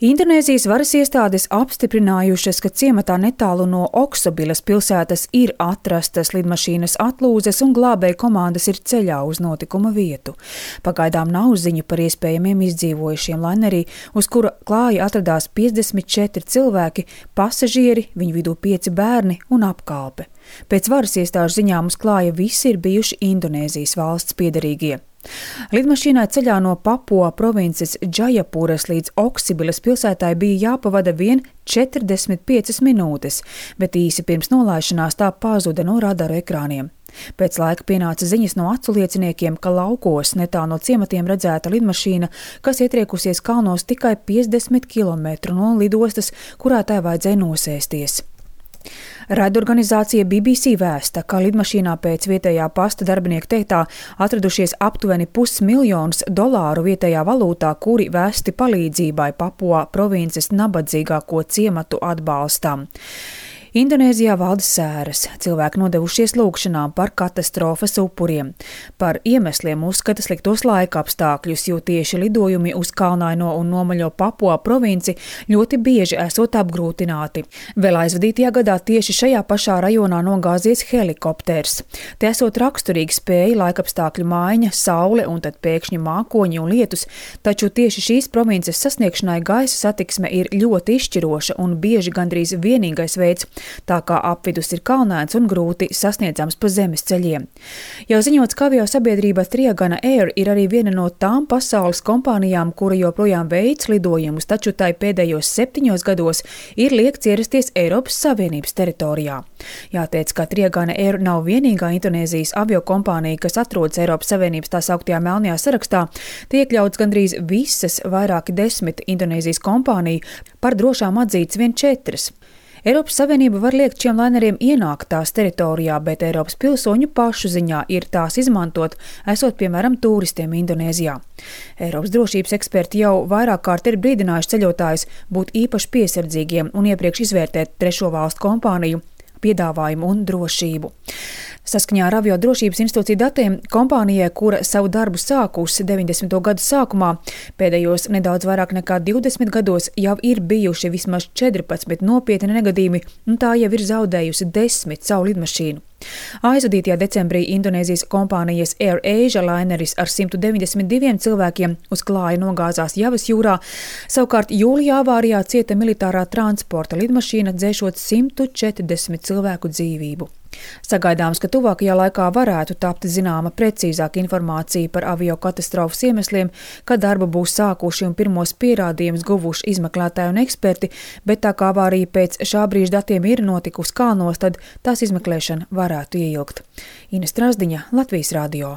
Indonēzijas varas iestādes apstiprinājušas, ka ciematā netālu no Oksobilas pilsētas ir atrastas lidmašīnas atlūzes un glābēju komandas ir ceļā uz notikuma vietu. Pagaidām nav ziņu par iespējamiem izdzīvojušiem lainerī, uz kura klāja atradās 54 cilvēki, pasažieri, viņu vidū 5 bērni un apkalpe. Pēc varas iestāžu ziņām uz klāja visi ir bijuši Indonēzijas valsts piederīgie. Lidmašīnai ceļā no Papua provinces Džajapuras līdz Oksibilas pilsētai bija jāpavada vien 45 minūtes, bet īsi pirms nolaišanās tā pazuda no radaru ekrāniem. Pēc laika pienāca ziņas no aculieciniekiem, ka laukos netālu no ciematiem redzēta lidmašīna, kas ietriekusies kalnos tikai 50 km no lidostas, kurā tai vajadzēja nosēsties. Raidorganizācija BBC vēsta, ka lidmašīnā pēc vietējā pasta darbinieku teiktā atradušies aptuveni $500,000 vietējā valūtā, kuri vēsti palīdzībai Papua provinces nabadzīgāko ciematu atbalstam. Indonēzijā valda sēras, cilvēki nodevušies lūgšanām par katastrofas upuriem. Par iemesliem uzskata sliktos laika apstākļus, jo tieši lidojumi uz kalnaino un nomaļo Papua provinci ļoti bieži esot apgrūtināti. Vēl aizvadītajā gadā tieši šajā pašā rajonā nogāzies helikopters. Te esot raksturīgi spēja laikapstākļu maiņa, saule un tad pēkšņi mākoņi un lietus, taču tieši šīs provinces sasniegšanai gaisa satiksme ir ļoti izšķiroša un bieži gandrīz vienīgais veids, tā kā apvidus ir kalnēns un grūti sasniedzams pa zemes ceļiem. Jau ziņots, ka aviosabiedrība Triagana Air ir arī viena no tām pasaules kompānijām, kura joprojām veic lidojumus, taču tai pēdējos 7 gados ir liekts ierasties Eiropas Savienības teritorijā. Jāteic, ka Triagana Air nav vienīgā Indonēzijas aviokompānija, kas atrodas Eiropas Savienības tā sauktajā melnajā sarakstā. Tie iekļauts gandrīz visas vairāki 10 Indonēzijas kompāniju, par drošām atzīts vien 4. Eiropas Savienība var liekt šiem laineriem ienākt tās teritorijā, bet Eiropas pilsoņu pašu ziņā ir tās izmantot, esot, piemēram, turistiem Indonēzijā. Eiropas drošības eksperti jau vairāk kārt ir brīdinājuši ceļotājus būt īpaši piesardzīgiem un iepriekš izvērtēt trešo valstu kompāniju piedāvājumu un drošību. Saskaņā ar Aviodrošības institūciju datiem, kompānijai, kura savu darbu sākusi 90. gadu sākumā, pēdējos nedaudz vairāk nekā 20 gados jau ir bijuši vismaz 14 nopietni negadījumi, un tā jau ir zaudējusi 10 savu lidmašīnu. Aizvadītajā decembrī Indonēzijas kompānijas Air Asia laineris ar 192 cilvēkiem uz klāja nogāzās Javas jūrā, savukārt jūlijā avārijā cieta militārā transporta lidmašīna, dzēšot 140 cilvēku dzīvību. Sagaidāms, ka tuvākajā laikā varētu tapt zināma precīzāka informācija par aviokatastrofas iemesliem, kad darbu būs sākuši un pirmos pierādījumus guvuši izmeklētāji un eksperti, bet tā kā avārija pēc šā brīža datiem ir notikusi kalnos, tad tās izmeklēšana varētu ieilgt. Ines Strazdiņa, Latvijas radio.